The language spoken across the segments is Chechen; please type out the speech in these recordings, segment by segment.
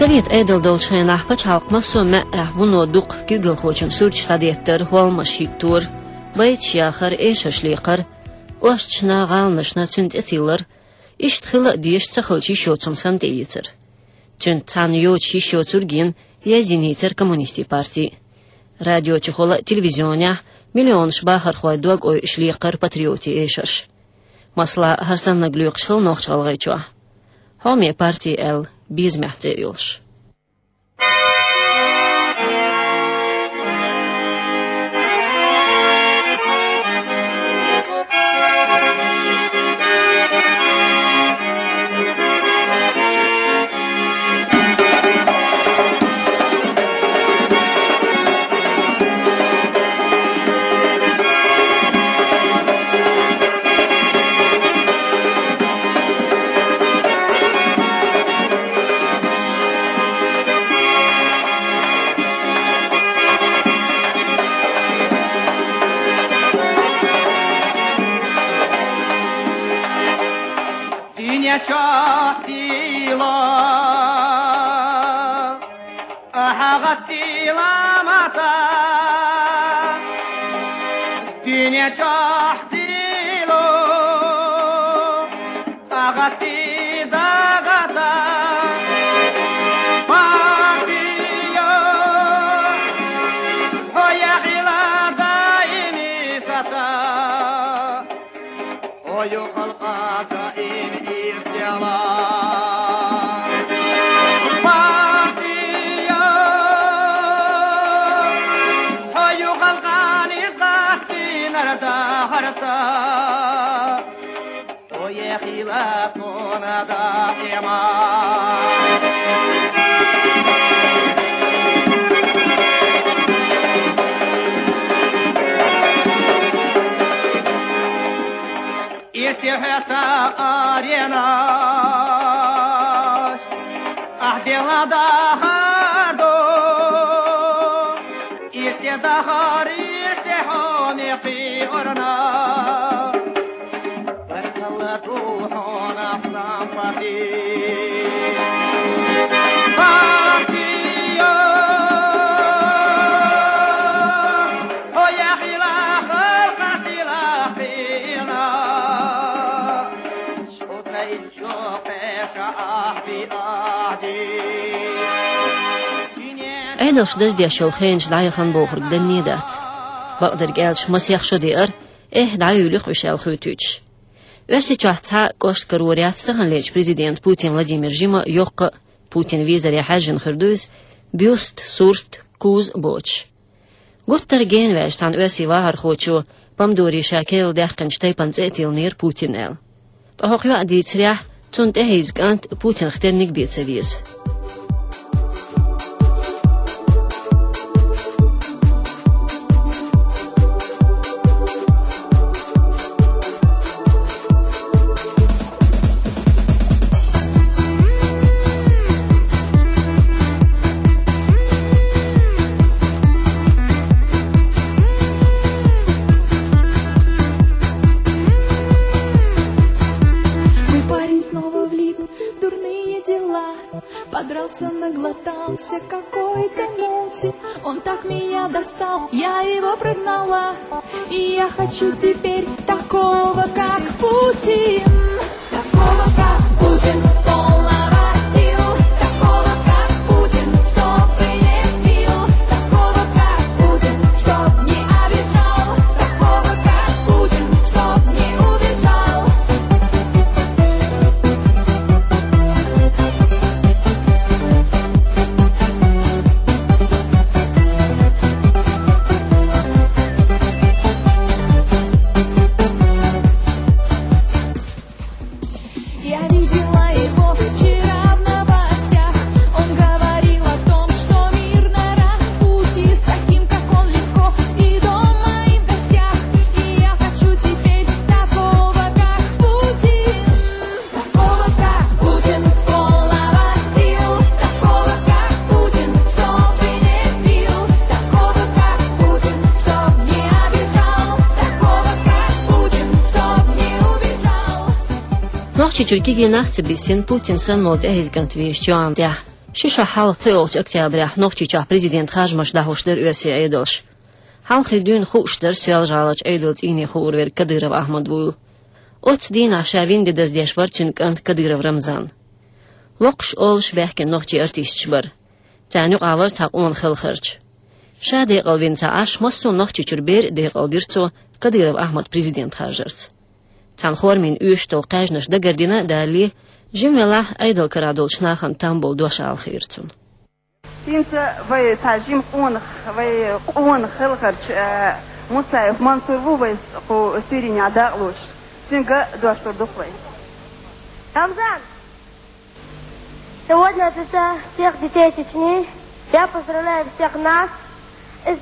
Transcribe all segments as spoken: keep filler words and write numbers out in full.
Совет Ӏедал долчу хенахь пачхьалкх массо а маьӀӀехь вуно дукха куьйгалхочун сурташ схьадеттара, хӀолламаш хӀиттора, байташ яхара, эшарш лекхара, кӀошташна, гӀаланашна цуьнан цӀе тиллара. Иштта хила а дезаш ца хилча йиш йоцург санна тӀеэцара. Цуьнца цхьаьна йоцуш йиш йоцург йина язйинийцара коммунистийн парти. Радиочухула а, телевизионехь а миллионаш бахархойн дог-ойуш лекхара патриотийн эшарш. Масала, хӀара саннарг лоькхуш хилла Нохч-ГӀалгӀайчохь. Хьоме парти аьлла, безамехь цӀе а йолуш. Дуьнен чохь сийло, ахьа гӀаттийла мата. Дуьнен чохь сийло, ахьа гӀаттий дагата. Партио, хьо яхила даими сата. Хьо ю халкъан даим иртела. Партио, хьо ю халкъан иртахтинарг дан хӀара ца. Хьо яхила тхуна даима. Ирсе хьоьца аренаш, ахь дела дахар ду. Ирсе дахар, ирсе хьо мекхи орна. Баркалла ду хьуна, Сампати. Партио, хьо яхила халкъан сийлахь хила. Ӏедалш даздеш йолу хенаш дӀаяхана бохург данне дац. Бакъдерг аьлча, масех шо деара, эхь, дӀаюьйлу-кх уьш аьлла хуьйцуьйтуш. Оьрсийчохь цхьа а кӀошт карор яц таханлерчу президента Путин Владимира жима йоккха а, Путинан визаре хьаьжжина хир ду иза, бюст, сурт, куза боцуш. Гуттар а генаваьлча цхьана оьрсийн вахархочо, помидорийн ша керла даьккхинчу тайпана цӀе а тиллинера Путин аьлла. Ткъа хӀокху йоӀа дийцарехь, цунна тӀехьийза кӀант Путинах тенниг бен ца веза. Мой парень снова влип в дурные дела. Подрался, наглотался какой-то мути. Он так меня достал, я его прогнала. И я хочу теперь такого, как Путин. Такого, как Путин, полного сил. Такого, как Путин, чтоб и не пил. Такого, как Путин, чтоб не обижал. Такого, как Путин, чтоб не убежал. Я видела его вчера в новостях. Он говорил о том, что мир на распутье. С таким, как он, легко и дома, и в гостях. И я хочу теперь такого, как Путин. Такого, как Путин, полного сил. Такого, как Путин, чтоб и не пил. Такого, как Путин, чтоб не обижал. Такого, как Путин, чтоб не убежал. Нохчийчуьра кегий нах ца бисина Путин санна волу тӀехьийза кӀант везачу йоӀана тӀехь. Ши шо хьалха пхиъолчу октябрехь Нохчийчохь президент харжамаш дӀахьуш дара оьрсийн Ӏедалш. Хьалххе дуьйна хууш дара Соьлжа-ГӀаларчу Ӏедалца ийне хуур верг Кадыров Ахьмад вуйла. Оццу дийнахь ша вина де даздеш вара цуьнан кӀант Кадыров Рамзан. Локхуш, олуш баьхкина нохчийн артисташ бара. Царна юкъахь вара цхьа къона хелхарча. Ша декъал вина ца Ӏаш, массо а Нохчийчуьра бер а декъал дира цо Кадыров Ахьмад президент харжарца. Цхьана формина оьшуш долу кхаьжнаш дагардина а далале, жима велахь, Ӏедал карахь долчу нахана там болу дош ала хиира цунна. ХӀинца вай цхьа жима къонах, вай къона хелхарча, э, Мусаев Мансур ву вай кху суьйренехь дакъалоцуш. Цуьнга дош лур ду-кх вай. Рамзан! Сегодня от лица всех детей Чечни я поздравляю всех нас с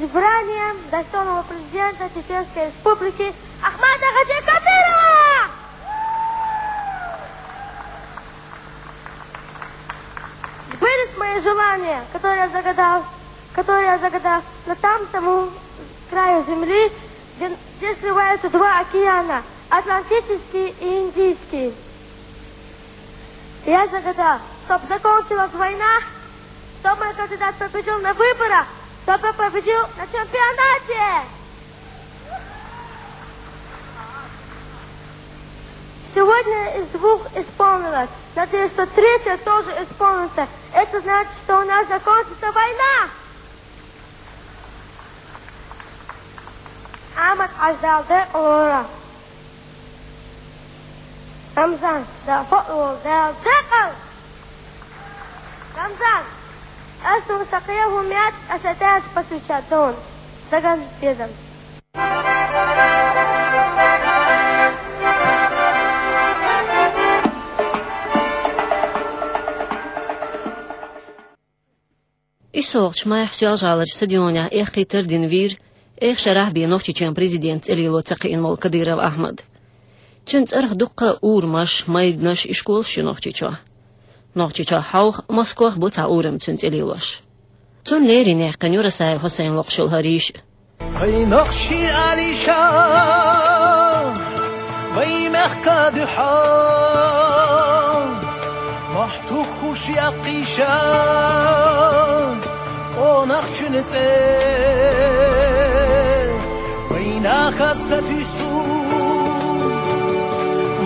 избранием достойного президента Чеченской Республики Ахмада Хаджи Кадырова! Сбылись мои желания, которые я загадал, которые я загадал на там тому краю земли, где, где сливаются два океана, Атлантический и Индийский. Я загадал, чтоб закончилась война, чтоб мой кандидат победил на выборах, чтоб я победил на чемпионате. Сегодня из двух исполнилось. Надеюсь, что третья тоже исполнится. Это значит, что у нас закончится война. Ахьмад-Хьаьжа, Дала декъалвойла. Рамзан, Дала хьо а волва, Дала декъал! Рамзан, ас хӀума сан кхин хӀума яц, аса тӀаьхьа пасуьйча дона. Даган безам. ИссогӀучу майхь Соьлжа-ГӀаларчу стадионехь эккхийтар а дина вийра, эха шарахь бен Нохчийчоьнан президент цӀе лело ца кхиъна волу Кадыров Ахьмад. Цуьнан цӀарах дуккха а урамаш, майданаш, ишколаш ю Нохчийчохь. Нохчийчохь хьовха, Москвахь бу цхьа урам цуьнан цӀе лелош. Цунна леррина яьккхина ю Расаев Хьусайн локхуш йолу хӀара йиш а. Вайн нохчий алийша, вайн мехка дуьхьа, мохь тухуш яккхийша, къонахчун цӀе вайнах аса туьйсу,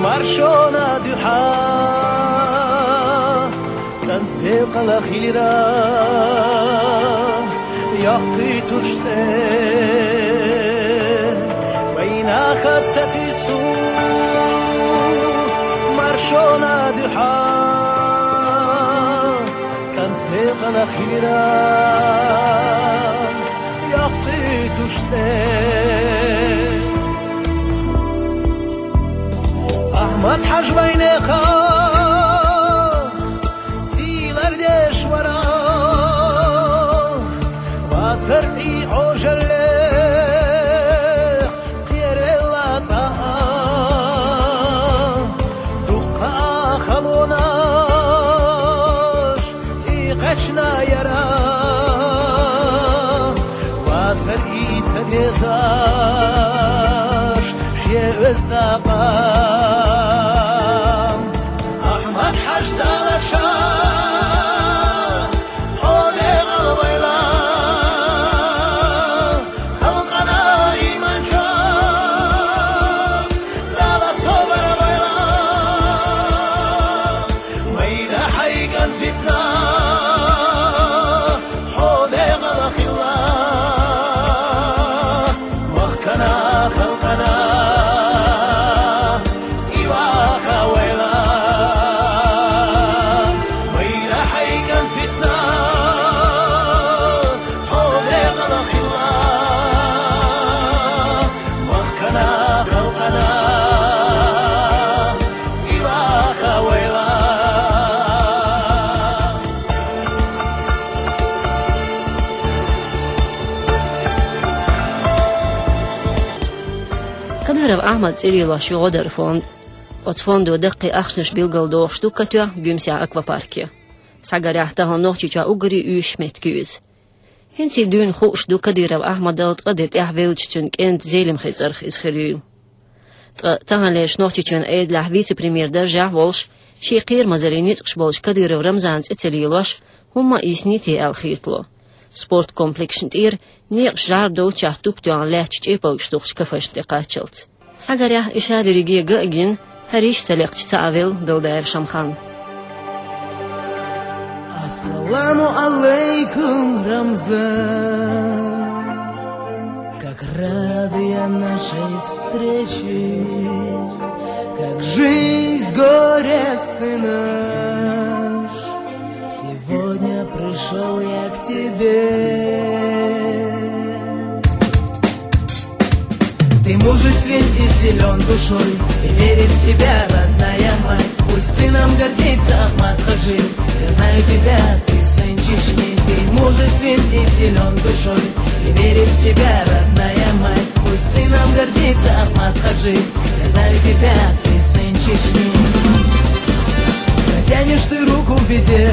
маршонан дуьхьа. КӀант декъала хилира, йоккхуьйтуш цӀе. Вайнах аса туьйсу, маршонан дуьхьа. КӀант декъала хилира, йоккхуьйтуш цӀе. Ахьмад-Хьаьжа вайнеха сийлар деш вара, вацар и Ӏожаллех кхералла цӀа а, дуккха а халонаш и кхаьчна яра, вацар и ца дезаш шен оьзда къам. Ахьмад-Хьаьжа, Дала ша хьо декъалвойла, халкъана иман чу Дала собар лойла, майда хьайн кӀант витна, хьо декъала хилла, махкана, халкъана и ваха войла. Майда хьайн кӀант витна, хьо декъала хилла, махкана, халкъана и ваха войла. Кадыров Ахьмад цӀе лелош ю гӀо даран фонд. Оцу фондо даккхий ахчанаш билгалдохуш ду катоьхна Гуьмсехь аквапарке. Схьагарехь, тахана Нохчийчохь уггаре уьйш меттиг ю иза. ХӀинца дуьйна хууш ду Кадыров Ахьмадал ткъа де тӀаьхьа веллачу цуьнан кӀентан Зелимхин цӀарах иза хир юйла. Ткъа таханлерчу Нохчийчоьнан Ӏедалехь вице-премьер даржехь волуш, Ший кхерамазаллин ницкъаш болчу Кадыров Рамзана цӀе ца лелош, хӀумма а йисте аьлла хетало. Спорткомплексашна тӀера некъаш жӀар долчохь туп тоьхна лаьтташ чӀепалгаш тухучу кафешна тӀе кхаччалц. Схьагарехь, и шадерриге ган а гина, хӀара йиш ца лекхча ца Ӏа велла Далдаев Шамхан. Ассаламу алейкум, Рамзан. Как рад я нашей встрече, как жизнь, горец ты наш. Сегодня пришёл я к тебе. Ты мужествен и силён душой, и верит в тебя родная мать. Пусть сыном гордится Ахмат Хаджи. Я знаю тебя, ты сын Чечни. Ты мужествен и силён душой, и верит в тебя родная мать. Пусть сыном гордится Ахмат Хаджи. Я знаю тебя, ты сын Чечни. Протянешь ты руку в беде,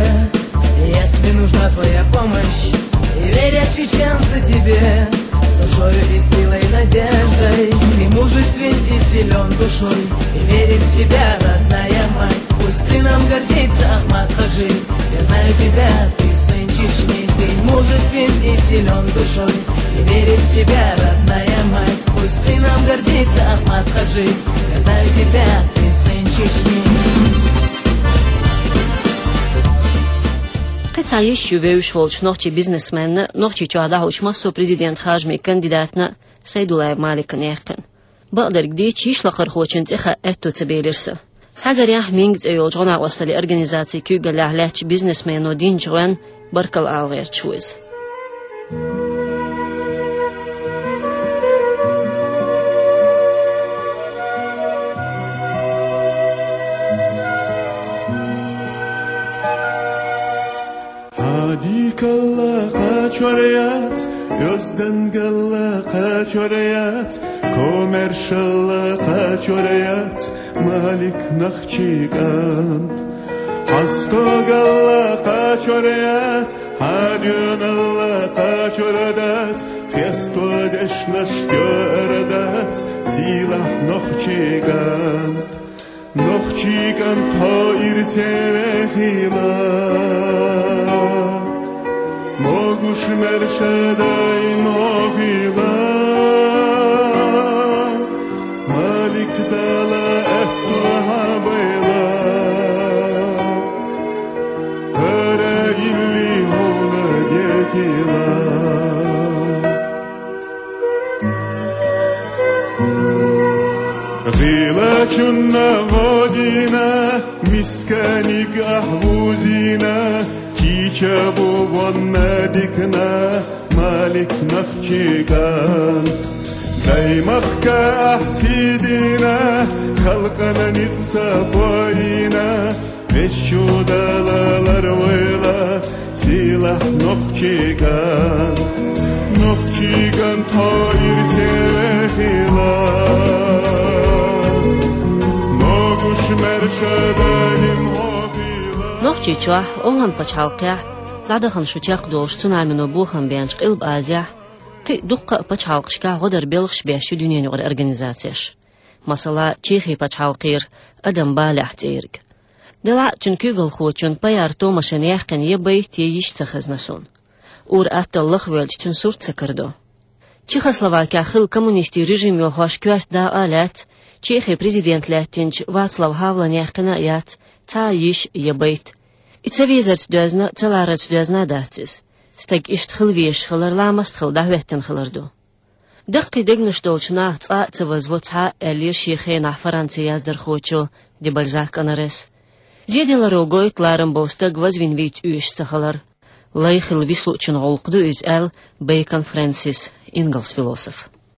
если нужна твоя помощь. И верят чеченцы тебе с душою и силой, надеждой. Ты мужествен и силён душой, и верит в тебя родная мать. Пусть сыном гордится Ахмат Хаджи. Я знаю тебя, ты сын Чечни. Ты мужествен и силён душой, и верит в тебя родная мать. Пусть сыном гордится Ахмат Хаджи. Я знаю тебя, ты сын Чечни. Кхин цхьа йиш ю вевзаш волчу нохчийн бизнесменна, Нохчийчохь дӀахьочу массо а президент харжамийн кандидатна Сайдуллаев Маликна яьккхина. Бакъдерг дийцича, йиш лакхархочун цӀе хаа аьтто ца белира сан. Схьагарехь, «Минга» цӀе йолчу гӀо-накъосталлин организацин куьйгаллехь лаьттачу бизнесмено динчу гӀоьнна баркалла ала гӀерташ ву иза. Хьан дикалла кхачор яц, оьздангалла кхачор яц, комаьршалла кхачор яц, Малик, нохчийн кӀант. Хьан стогалла кхачор яц, хьан доьналла кхачор дац, хесто дешнаш тоьар дац, сийлахь нохчийн кӀант. Нохчийн кӀант, хьо ирсе вехийла, могуш-маьрша даим хьо хуьйла. Малик, Дала аьтто хьан байла, хӀара йилли хьуна декъийла. ГӀийлачунна гӀо дина, мисканиг ахь вузийна, кийча бу вонна дикана, Малик, нохчийн кӀант. Даймахка ахь сий дина, халкъана ницкъ ца бойина, везачу Дала ларвойла, сийлахь нохчийн кӀант. Нохчийн кӀант, хьо ирсе вехийла, могуш-маьрша даим хьо хуьйла. Нохчийчохь, ОвхӀан пачхьалкхехь, дӀадахана шу чекхдолуш цунамино бохам беанчу Къилба Азехь, кхин а дуккха а пачхьалкхашкахь гӀо дар белхаш беш ю дуьненан юкъара организацеш. Масала, Чехин пачхьалкхера «Адам балехь» цӀерга. Делахь а цуьнан куьйгалхочун Паяр Томашен яьккхина я байт, я йиш ца хезна суна. Ур-атталла лахвоьлча, цуьнан сурт ца карадо. Чехословакехь хилла коммунистийн режим йохош коьрта дакъа а лаьцна, Чехин президент лаьттинчу Вацлав Хавлан яьккхина а яц цхьа а йиш я байт. И ца везарца доьзна, ца ларарца доьзна а дац иза. Стаг иштта хила везаш хилар ламаст хилла дӀахӀоьттина хилар ду. Даккхий дегнаш долчу наха цкъа а ца вазво цхьа а, аьллера шен хенахь Францин яздархочо де Бальзак Онорес. Зеделаро гойту ларам болу стаг вазвина вийца оьшуш ца хилар. Лай хилла вислуучун гӀуллакх ду иза, аьлла Бейкон Фрэнсис, ингалс философ.